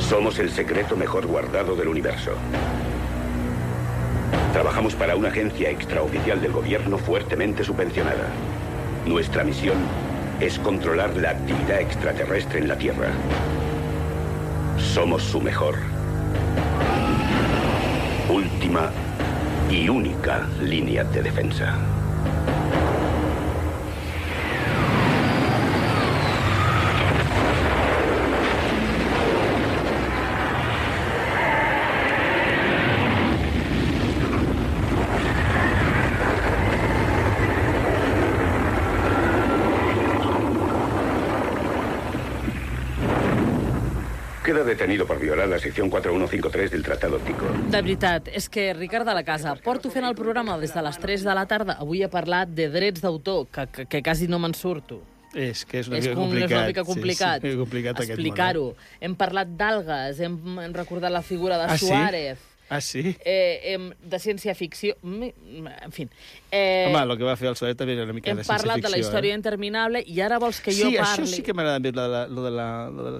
Somos el secreto mejor guardado del universo. Trabajamos para una agencia extraoficial del gobierno fuertemente subvencionada. Nuestra misión es controlar la actividad extraterrestre en la Tierra. Somos su mejor, última y única línea de defensa. Queda detenido por violar la sección 4153 del Tratado Tico. De veritat, és que, Ricard de la Casa, porto fent el programa des de les 3 de la tarda. Avui he parlat de drets d'autor, que quasi no me'n surto. És que és una mica complicat. És una mica complicat, sí, complicat explicar-ho. Hem parlat d'algues, hem recordat la figura de Suárez. Ah, sí? De ciència-ficció... En fi... Home, el que va fer el Soler també era una mica de ciència-ficció. Hem parlat de la història interminable i ara vols que jo parli... Sí, això sí que m'agrada més, lo de la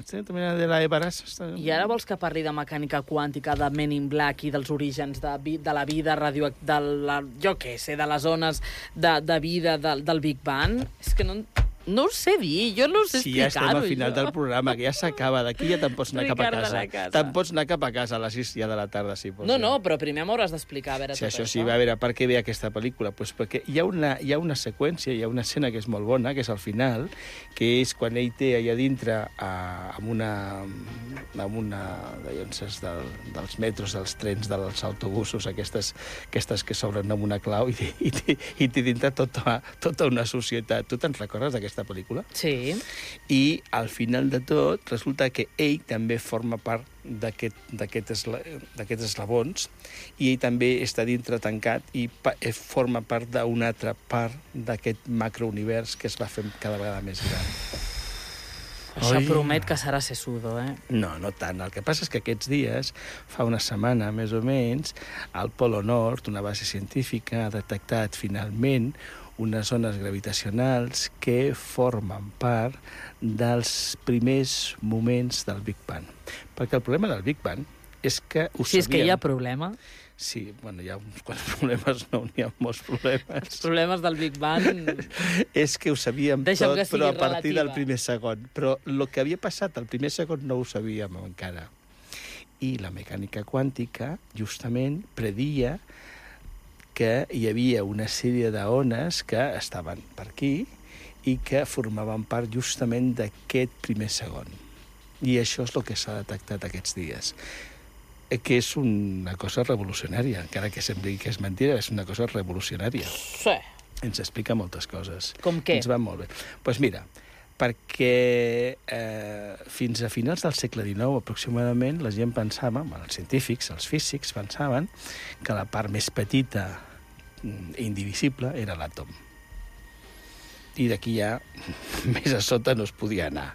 història interminable de la Everas. I ara vols que parli de mecànica quàntica, de Men in Black i dels orígens de la vida radioactiva, jo què sé, de les zones de vida del Big Bang? És que no ho sé dir, jo no ho sé explicar-ho. Si ja estem al final del programa, que ja s'acaba, d'aquí ja te'n pots anar cap a casa. Te'n pots anar cap a casa a les 6 ja de la tarda, si pots. No, però primer m'hauràs d'explicar, a veure, tot això. Sí, a veure, per què ve aquesta pel·lícula? Pues perquè hi ha una seqüència, hi ha una escena que és molt bona, que és al final, que és quan ell té allà dintre amb una dels metros, dels trens, dels autobusos, aquestes que s'obren amb una clau i té dintre tota una societat. Tu te'n recordes d'aquesta pel·lícula? Sí. I al final de tot resulta que ell també forma part d'aquests eslabons i ell també està dintre tancat i forma part d'una altra part d'aquest macrounivers que es va fer cada vegada més gran. Això promet que serà sesudo, eh? No tant. El que passa és que aquests dies, fa una setmana més o menys, al Polo Nord, una base científica ha detectat finalment unes zones gravitacionals que formen part dels primers moments del Big Bang. Perquè el problema del Big Bang és que ho sabíem... Si és que hi ha problema. Sí, bueno, hi ha uns quants problemes, no, n'hi ha molts problemes. Els problemes del Big Bang... És que ho sabíem tot, però a partir del primer segon. Però el que havia passat al primer segon no ho sabíem encara. I la mecànica quàntica, justament, predia que hi havia una sèrie d'ones que estaven per aquí i que formaven part justament d'aquest primer segon. I això és el que s'ha detectat aquests dies. Que és una cosa revolucionària, encara que sembli que és mentira, és una cosa revolucionària. Sí. Ens explica moltes coses. Com què? Ens va molt bé. Doncs mira, perquè fins a finals del segle XIX aproximadament la gent pensava, els científics, els físics pensaven que la part més petita i indivisible era l'àtom. I d'aquí ja més a sota no es podia anar.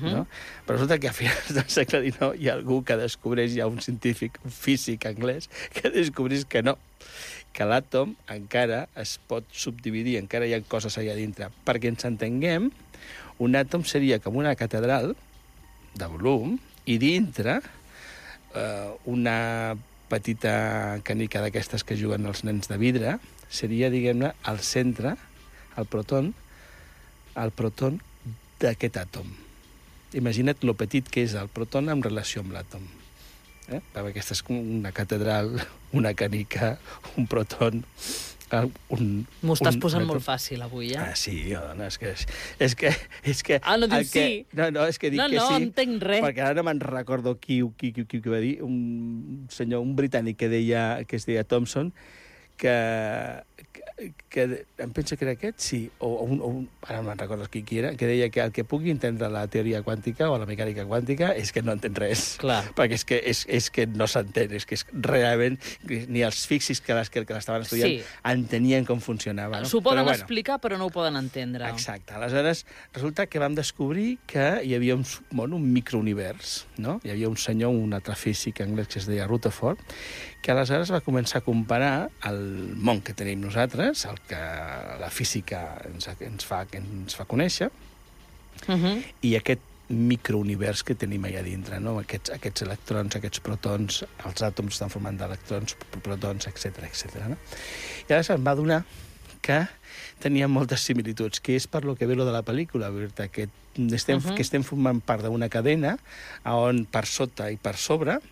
No? Però resulta que a finals del segle XIX hi ha algú que descobreix, hi ha un científic, un físic anglès, que descobreix que no, que l'àtom encara es pot subdividir, encara hi ha coses allà dintre. Perquè ens entenguem, un àtom seria com una catedral de volum i dintre una petita canica d'aquestes que juguen els nens de vidre seria, diguem-ne, el centre, el proton d'aquest àtom. Imagina't lo petit que és el proton en relació amb l'àtom. Aquesta és una catedral, una canica, un proton... M'ho estàs posant molt fàcil avui, eh? Ah, sí, dona, és que... Ah, no dius sí? No, és que dic que sí. No entenc res. Perquè ara no me'n recordo qui va dir, un senyor, un britànic que es deia Thomson, que em penso que era aquest, sí, ara no me'n recordo qui era, que deia que el que pugui entendre la teoria quàntica o la mecànica quàntica és que no entén res. Clar. Perquè és que no s'entén, és que realment ni els físics que l'estaven estudiant entenien com funcionava. No? S'ho poden explicar, però no ho poden entendre. Exacte. Aleshores, resulta que vam descobrir que hi havia un microunivers, no? Hi havia un senyor, un altre físic anglès que es deia Rutherford, que aleshores va començar a comparar el món que tenim nosaltres, el que la física ens fa conèixer, i aquest microunivers que tenim allà dintre, no? Aquests electrons, aquests protons, els àtoms estan formant d'electrons, protons, etc etc. No? I llavors em va donar que tenia moltes similituds, que és per lo que ve lo de la pel·lícula, que estem formant part d'una cadena on per sota i per sobre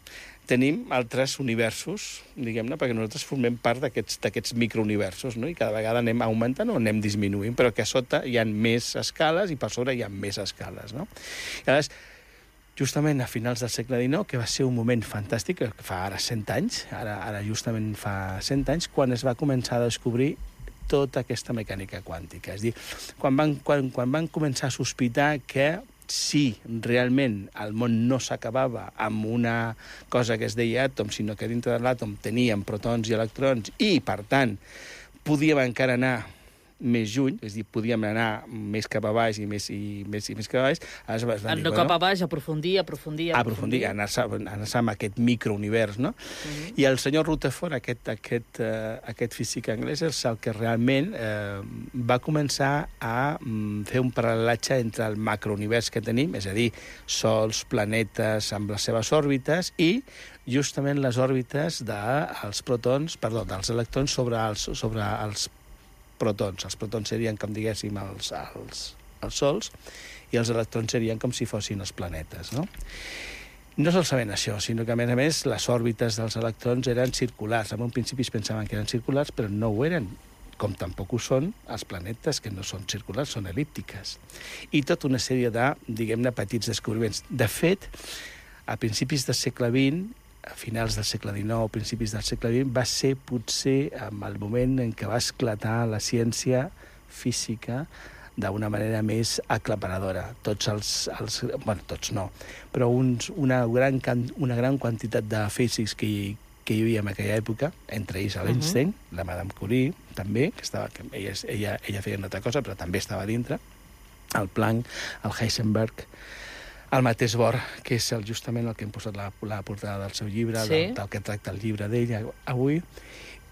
tenim altres universos, diguem-ne, perquè nosaltres formem part d'aquests microuniversos, no? I cada vegada anem augmentant o anem disminuint, però que a sota hi ha més escales i per sobre hi ha més escales, no? I llavors, justament a finals del segle XIX, que va ser un moment fantàstic, que fa ara 100 anys, ara justament fa 100 anys, quan es va començar a descobrir tota aquesta mecànica quàntica. És a dir, quan van començar a sospitar que si realment el món no s'acabava amb una cosa que es deia àtom, sinó que dintre de l'àtom teníem protons i electrons i, per tant, podíem encara anar més lluny, és a dir, podíem anar més cap a baix i més cap a baix. No cap a baix, aprofundir. Anar-se amb aquest microunivers, no? I el senyor Rutherford, aquest físic anglès, és el que realment va començar a fer un paral·lelatge entre el macrounivers que tenim, és a dir, sols, planetes amb les seves òrbites, i justament les òrbites dels electrons sobre els protons. Els protons serien, com diguéssim, els sols, i els electrons serien com si fossin els planetes, no? No solament això, sinó que, a més, les òrbites dels electrons eren circulars. En un principi es pensaven que eren circulars, però no ho eren, com tampoc ho són els planetes, que no són circulars, són el·líptiques. I tota una sèrie de, diguem-ne, petits descobriments. De fet, a principis del segle XX, a finals del segle XIX, principis del segle XX, va ser potser el moment en què va esclatar la ciència física d'una manera més aclaparadora. Tots no, però una gran quantitat de físics que hi havia en aquella època, entre ells l'Einstein, la Madame Curie, també, que ella feia una altra cosa, però també estava dintre, el Planck, el Heisenberg, el mateix Bohr, que és justament el que hem posat la portada del seu llibre, del que tracta el llibre d'ell avui,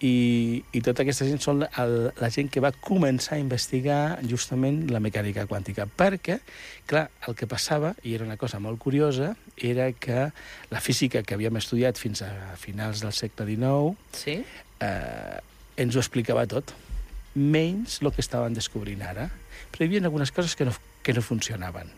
i tota aquesta gent són la gent que va començar a investigar justament la mecànica quàntica, perquè, clar, el que passava, i era una cosa molt curiosa, era que la física que havíem estudiat fins a finals del segle XIX ens ho explicava tot, menys el que estaven descobrint ara. Però hi havia algunes coses que no funcionaven.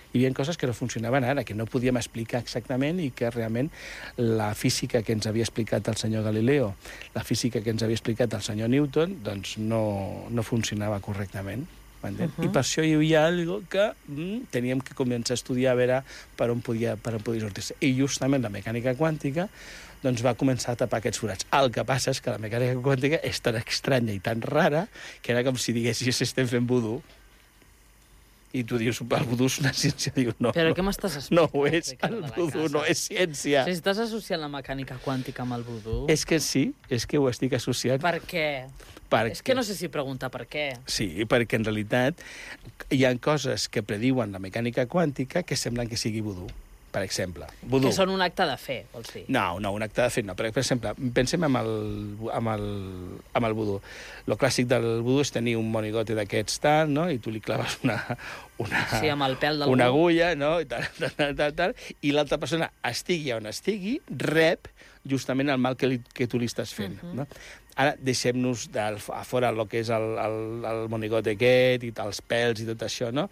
Hi havia coses que no funcionaven ara, que no podíem explicar exactament i que realment la física que ens havia explicat el senyor Galileo, la física que ens havia explicat el senyor Newton, doncs no funcionava correctament. I per això hi havia alguna cosa que teníem que començar a estudiar a veure per on podia sortir-se. I justament la mecànica quàntica doncs va començar a tapar aquests forats. El que passa és que la mecànica quàntica és tan estranya i tan rara que era com si diguessis estem fent vudú. I tu dius, el vudú és una ciència. Diu, no, però què m'estàs explicant? No ho és, el vudú no és ciència. Si estàs associant la mecànica quàntica amb el vudú... És que sí, és que ho estic associant. Per què? És que no sé si preguntar per què. Sí, perquè en realitat hi ha coses que prediuen la mecànica quàntica que semblen que sigui vudú. Per exemple, vudú. Que són un acte de fe, vols dir? No, un acte de fe no. Per exemple, pensem en el vudú. Lo clàssic del vudú és tenir un monigote d'aquests tal, no? I tu li claves sí, amb el pèl del una agulla, no? I tal, i l'altra persona, estigui on estigui, rep justament el mal que tu li estàs fent, no? Ara deixem-nos a fora el que és el monigote aquest i els pèls i tot això, no?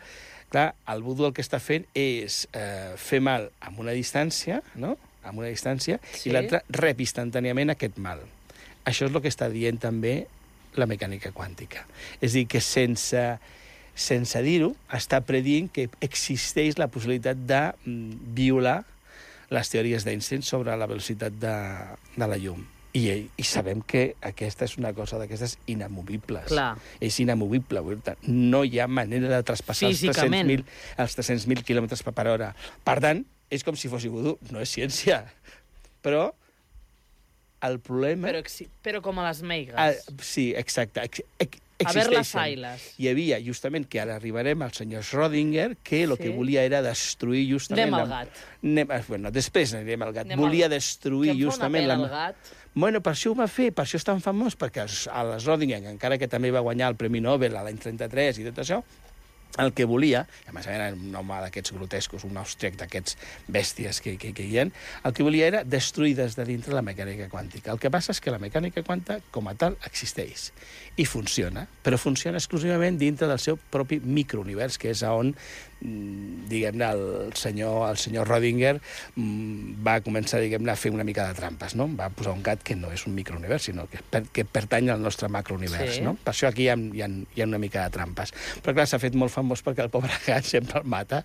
Clar, el vudú el que està fent és fer mal amb una distància, no? Amb una distància, i l'altre rep instantàniament aquest mal. Això és el que està dient també la mecànica quàntica. És a dir, que sense dir-ho, està predient que existeix la possibilitat de violar les teories d'Einstein sobre la velocitat de la llum. I sabem que aquesta és una cosa d'aquestes inamovibles. Clar. És inamovible. No hi ha manera de traspassar els 300.000 quilòmetres per hora. Per tant, és com si fos vudú. No és ciència. Però el problema... Però com a les meigas. Sí, exacte. A ver les ailes. Hi havia, justament, que ara arribarem al senyor Schrödinger, que el que volia era destruir justament... Anem al gat. Bueno, després anirem al gat. Volia destruir justament... Què em fa una pena al gat? Bueno, per això ho va fer, per això és tan famós, perquè a Schrödinger, encara que també va guanyar el Premi Nobel a l'any 33 i tot això, el que volia, a més era un home d'aquests grotescos, un austríac d'aquests bèsties que hi ha, el que volia era destruir des de dintre la mecànica quàntica. El que passa és que la mecànica quàntica, com a tal, existeix i funciona, però funciona exclusivament dintre del seu propi microunivers, que és on, diguem-ne, el senyor Rödinger va començar, diguem-ne, a fer una mica de trampes, no? Va posar un gat que no és un microunivers, sinó que pertany al nostre macrounivers, no? Per això aquí hi ha una mica de trampes. Però clar, s'ha fet molt famós perquè el pobre gat sempre el mata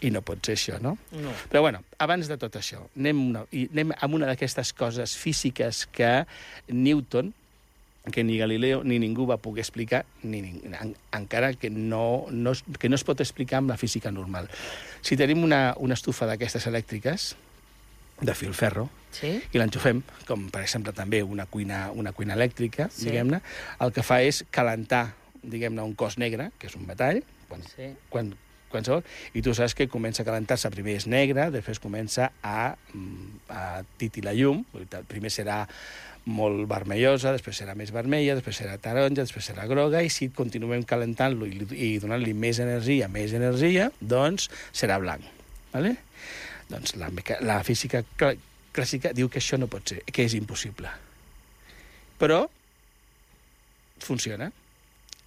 i no pot ser això, no? No. Però bueno, abans de tot això, anem amb una d'aquestes coses físiques que Newton, que ni Galileo ni ningú va poder explicar, encara que no es pot explicar amb la física normal. Si tenim una estufa d'aquestes elèctriques, de filferro, i l'enxufem, com per exemple també una cuina elèctrica, diguem-ne, el que fa és calentar, diguem-ne, un cos negre, que és un metall, qualsevol, i tu saps que comença a calentar-se, primer és negre, després comença a titilar llum, primer serà molt vermellosa, després serà més vermella, després serà taronja, després serà groga, i si continuem calentant-lo i donant-li més energia, doncs serà blanc. ¿Vale? Doncs la física clàssica diu que això no pot ser, que és impossible. Però funciona.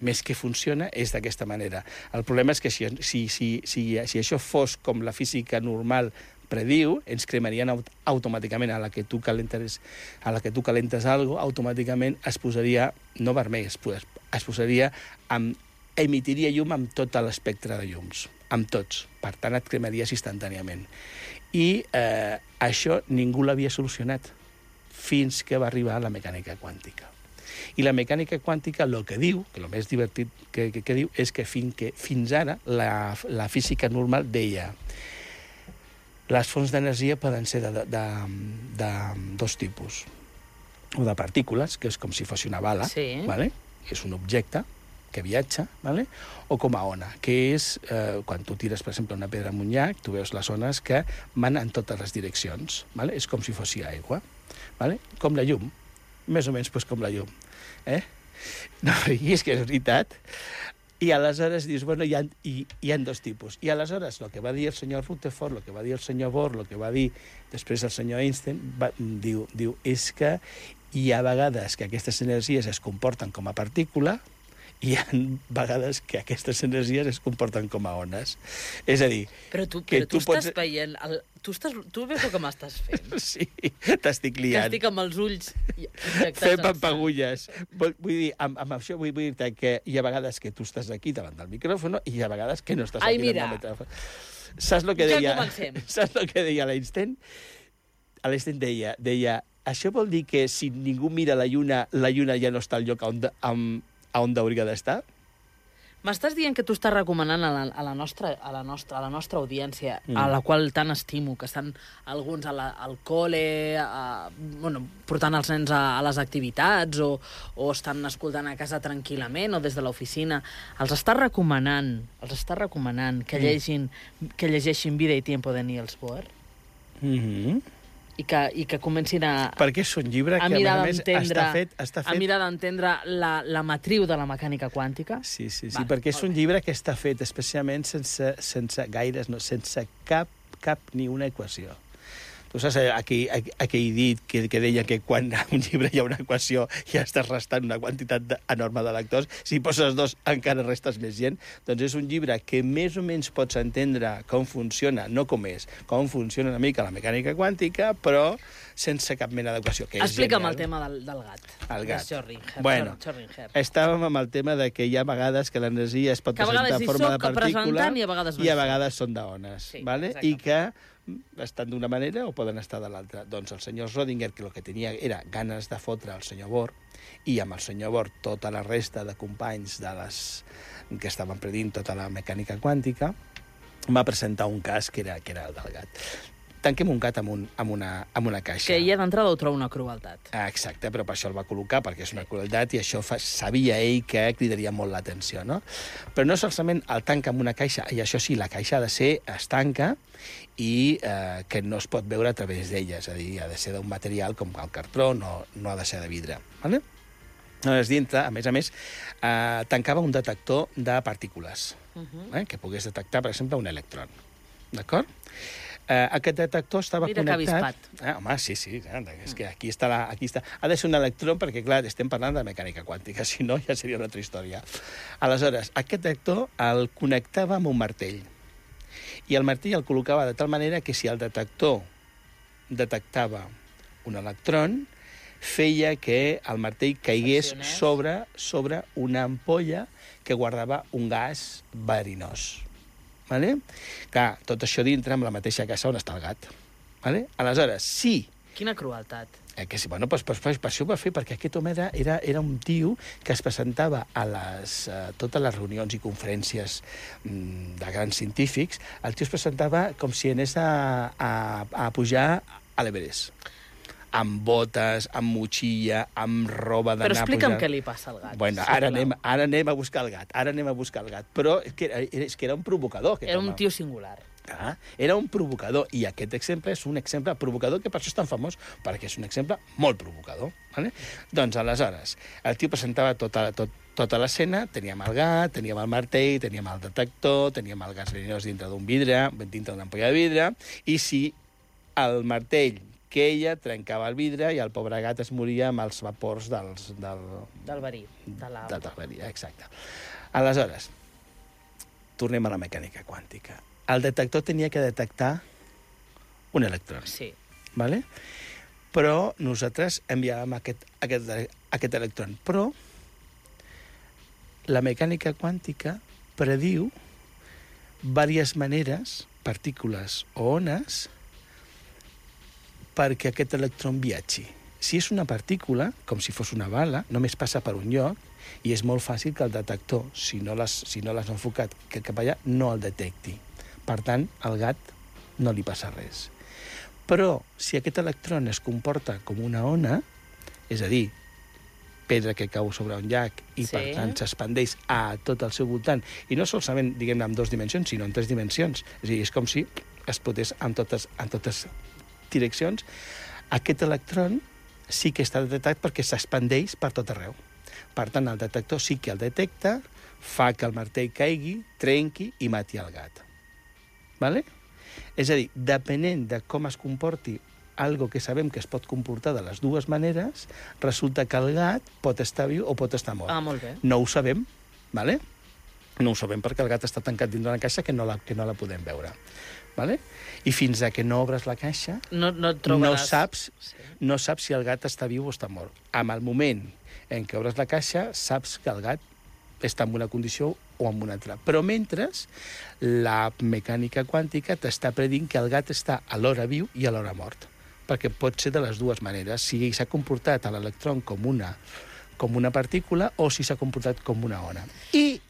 Més que funciona és d'aquesta manera. El problema és que si això fos com la física normal prediu, ens cremarien automàticament a la que tu calentes alguna cosa, automàticament es posaria, no vermell, es posaria, emitiria llum amb tot l'espectre de llums, amb tots. Per tant, et cremaries instantàniament. I això ningú l'havia solucionat fins que va arribar la mecànica quàntica. I la mecànica quàntica el que diu, que el més divertit que diu, és que fins ara la física normal deia les fonts d'energia poden ser de dos tipus. O de partícules, que és com si fos una bala, ¿vale? És un objecte que viatja, ¿vale? O com a ona, que és, quan tu tires, per exemple, una pedra en un llac, tu veus les ones que van en totes les direccions, ¿vale? És com si fos aigua, ¿vale? Com la llum, més o menys com la llum. No, i és que és veritat. I aleshores dius, bueno, hi ha dos tipus. I aleshores, el que va dir el senyor Rutherford, el que va dir el senyor Bohr, el que va dir després el senyor Einstein, diu, és que hi ha vegades que aquestes energies es comporten com a partícula i hi ha vegades que aquestes energies es comporten com a ones. És a dir... Però tu estàs veient... Tu veus el que m'estàs fent? Sí, t'estic liant. Que estic amb els ulls fent pampagulles. Vull dir, amb això vull dir-te que hi ha vegades que tu estàs aquí davant del micròfon i hi ha vegades que no estàs aquí davant del micròfon. Saps el que deia? Ja comencem. Saps el que deia l'Einstein? L'Einstein deia, això vol dir que si ningú mira la lluna ja no està al lloc on hauria d'estar? M'estàs dient que tu estàs recomanant a la nostra audiència, a la qual tant estimo, que estan alguns al col·le, portant els nens a les activitats, o estan escoltant a casa tranquil·lament, o des de l'oficina, els estàs recomanant que llegeixin Vida i Tiempo de Niels Bohr? I que comencin a... Perquè és un llibre que, a més, està fet... A mirar d'entendre la matriu de la mecànica quàntica. Sí, perquè és un llibre que està fet especialment sense cap ni una equació. Tu saps aquell dit que deia que quan a un llibre hi ha una equació ja estàs restant una quantitat enorme de lectors, si poses dos encara restes més gent? Doncs és un llibre que més o menys pots entendre com funciona, no com és, com funciona una mica la mecànica quàntica, però sense cap mena d'equació. Explica'm el tema del gat. El gat. Schrödinger. Bueno, estàvem amb el tema de que hi ha vegades que l'energia es pot presentar en forma de partícula i a vegades són d'ones. I que estan d'una manera o poden estar de l'altra. Doncs el senyor Schrödinger, que el que tenia era ganes de fotre el senyor Bohr, i amb el senyor Bohr tota la resta de companys que estaven predint tota la mecànica quàntica, va presentar un cas que era el del gat. Tanquem un gat amb una caixa. Que ja d'entrada ho trobo una crueltat. Exacte, però per això el va col·locar, perquè és una crueltat, i això sabia ell que cridaria molt l'atenció, no? Però no solament el tanca amb una caixa, i això sí, la caixa ha de ser estanca i que no es pot veure a través d'ella, és a dir, ha de ser d'un material com el cartró, no ha de ser de vidre, ¿vale? Aleshores, dintre, a més, tancava un detector de partícules, que pogués detectar, per exemple, un electron. D'acord? Aquest detector estava connectat... Mira que avispat. Home, sí, és que aquí està. Ha de ser un electró perquè, clar, estem parlant de mecànica quàntica, si no ja seria una altra història. Aleshores, aquest detector el connectava amb un martell. I el martell el col·locava de tal manera que si el detector detectava un electron, feia que el martell caigués sobre una ampolla que guardava un gas verinós. Vale? Clar, tot això dintre amb la mateixa casa on està el gat. Vale? Aleshores, sí... Quina crueltat. Que sí, bueno, per això ho va fer, perquè aquest home era un tio que es presentava a totes les reunions i conferències de grans científics. El tio es presentava com si anés a pujar a l'Everest. Amb botes, amb motxilla, amb roba d'anar... Però explica'm què li passa al gat. Bueno, ara anem a buscar el gat. Però és que era un provocador, aquest home. Era un tio singular. Era un provocador, i aquest exemple és un exemple provocador, que per això és tan famós, perquè és un exemple molt provocador. Vale? Doncs, aleshores, el tio presentava tota l'escena, teníem el gat, teníem el martell, teníem el detector, teníem el gas verinós dintre d'un vidre, dintre d'una ampolla de vidre, i si el martell queia, trencava el vidre i el pobre gat es moria amb els vapors del verí, de la... Del verí, exacte. Aleshores, tornem a la mecànica quàntica. El detector tenia que detectar un electron. Sí. Vale? Però nosaltres enviàvem aquest electron. Però la mecànica quàntica prediu diverses maneres, partícules o ones, perquè aquest electron viatgi. Si és una partícula, com si fos una bala, només passa per un lloc i és molt fàcil que el detector, si no l'has enfocat cap allà, no el detecti. Per tant, al gat no li passa res. Però si aquest electron es comporta com una ona, és a dir, pedra que cau sobre un llac i, per tant, s'expandeix a tot el seu voltant, i no solament, diguem-ne, en 2 dimensions, sinó en 3 dimensions. És a dir, és com si es potés en totes direccions. Aquest electron sí que està detectat perquè s'expandeix per tot arreu. Per tant, el detector sí que el detecta, fa que el martell caigui, trenqui i mati el gat. Vale? És a dir, depenent de com es comporti algo que sabem que es pot comportar de les dues maneres, resulta que el gat pot estar viu o pot estar mort. Molt bé. No ho sabem, vale? No ho sabem perquè el gat està tancat dins d'una caixa que no la podem veure. Vale? I fins que no obres la caixa, no saps si el gat està viu o està mort. En el moment en què obres la caixa, saps que el gat està en una condició o en una altra. Però mentre, la mecànica quàntica t'està predint que el gat està alhora viu i alhora mort. Perquè pot ser de les dues maneres. Si s'ha comportat a l'electron com una partícula o si s'ha comportat com una ona. I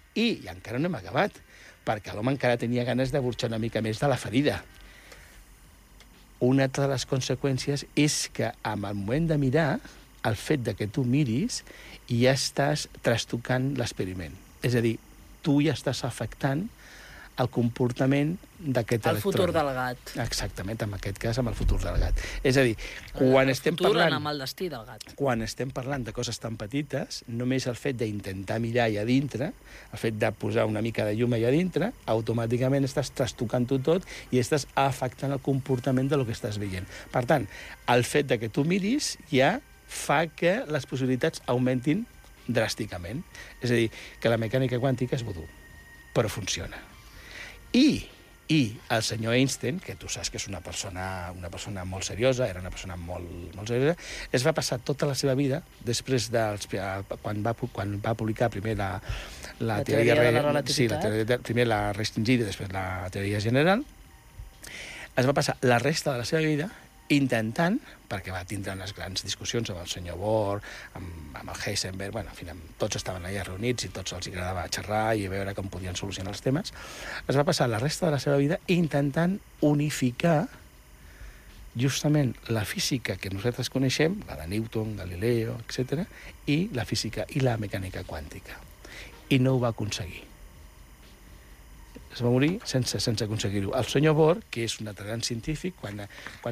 encara no hem acabat, perquè l'home encara tenia ganes de burxar una mica més de la ferida. Una altra de les conseqüències és que, en el moment de mirar, el fet de que tu miris, ja estàs trastocant l'experiment. És a dir, tu ja estàs afectant el comportament d'aquest electró. El futur del gat. Exactament, en aquest cas, amb el futur del gat. És a dir, quan estem parlant... amb el destí del gat. Quan estem parlant de coses tan petites, només el fet d'intentar mirar allà dintre, el fet de posar una mica de llum allà dintre, automàticament estàs trastocant-ho tot i estàs afectant el comportament del que estàs veient. Per tant, el fet de que tu miris ja fa que les possibilitats augmentin dràsticament. És a dir, que la mecànica quàntica és vodú, però funciona. I el senyor Einstein, que tu saps que és una persona molt seriosa, era una persona molt seriosa, es va passar tota la seva vida, després quan va publicar primer la teoria de la relativitat, primer la restringida i després la teoria general, es va passar la resta de la seva vida intentant, perquè va tindre unes grans discussions amb el senyor Bohr, amb el Heisenberg, bueno, en fi, tots estaven allà reunits i tots els agradava xerrar i veure com podien solucionar els temes, es va passar la resta de la seva vida intentant unificar justament la física que nosaltres coneixem, la de Newton, Galileo, etc., i la física i la mecànica quàntica. I no ho va aconseguir. Es va morir sense aconseguir-ho. El senyor Bohr, que és un altre gran científic, quan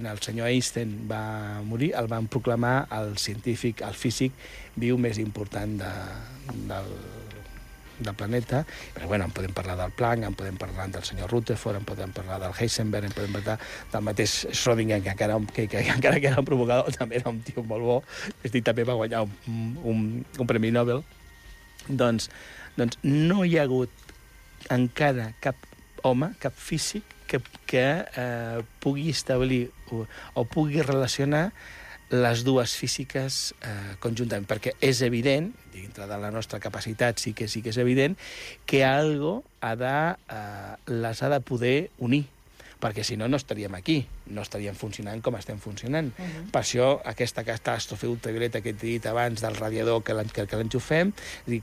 el senyor Einstein va morir, el van proclamar el científic, el físic viu més important del planeta. Però, bueno, en podem parlar del Planck, en podem parlar del senyor Rutherford, en podem parlar del Heisenberg, en podem parlar del mateix Schrödinger, que encara que era un provocador, també era un tio molt bo, també va guanyar un premi Nobel. Doncs no hi ha hagut encara cap home, cap físic, que pugui establir o pugui relacionar les dues físiques conjuntament, perquè és evident, dintre de la nostra capacitat sí que és evident, que algo les ha de poder unir, perquè si no, no estaríem aquí, no estaríem funcionant com estem funcionant. Per això, aquesta catàstrofe ultravioleta que he dit abans del radiador que l'enxufem,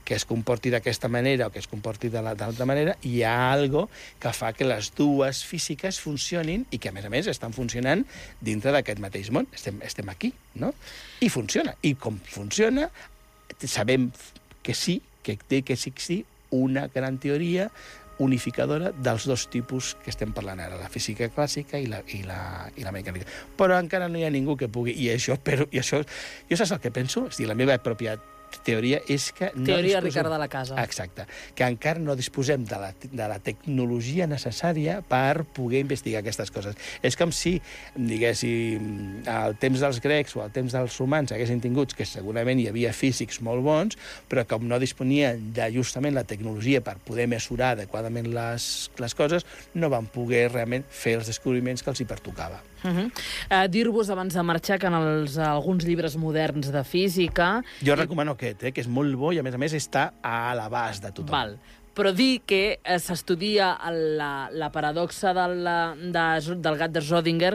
que es comporti d'aquesta manera o que es comporti de l'altra manera, hi ha algo que fa que les dues físiques funcionin i que, a més, estan funcionant dintre d'aquest mateix món. Estem aquí, no? I funciona. I com funciona, sabem que sí, que té que existir una gran teoria unificadora dels dos tipus que estem parlant ara, la física clàssica i la mecànica. Però encara no hi ha ningú que pugui... Jo saps el que penso? És a dir, la meva pròpia teoria és que... Teoria Ricard de la Casa. Exacte. Que encara no disposem de la tecnologia necessària per poder investigar aquestes coses. És com si, diguéssim, al temps dels grecs o al temps dels romans haguessin tingut, que segurament hi havia físics molt bons, però com no disponien de justament la tecnologia per poder mesurar adequadament les coses, no van poder realment fer els descobriments que els hi pertocava. Dir-vos abans de marxar que en alguns llibres moderns de física... Jo recomano aquest, que és molt bo i, a més, està a l'abast de tothom. Val. Però dir que s'estudia la paradoxa del gat de Schrödinger,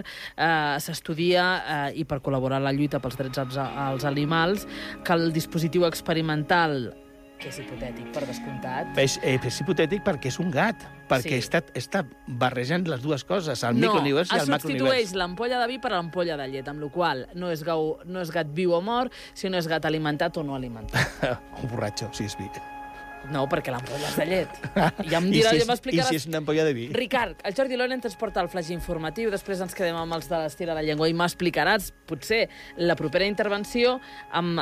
s'estudia, i per col·laborar en la lluita pels drets als animals, que el dispositiu experimental, que és hipotètic, per descomptat... És hipotètic perquè és un gat, perquè està barrejant les dues coses, el microunivers i el macrounivers. No, es substitueix l'ampolla de vi per l'ampolla de llet, amb la qual no és gat viu o mort, sinó és gat alimentat o no alimentat. Un borratxo, si és vi. No, perquè l'ampolla és de llet. Ja m'explicaràs... I si és una ampolla de vi? Ricard, el Jordi Lorent ens porta el flaix informatiu, després ens quedem amb els de l'Estira de la Llengua i m'explicaràs, potser, la propera intervenció amb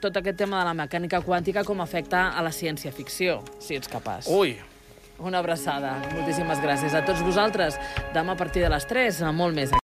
tot aquest tema de la mecànica quàntica com afecta a la ciència-ficció, si ets capaç. Ui! Una abraçada. Moltíssimes gràcies a tots vosaltres. Demà a partir de les 3, molt més.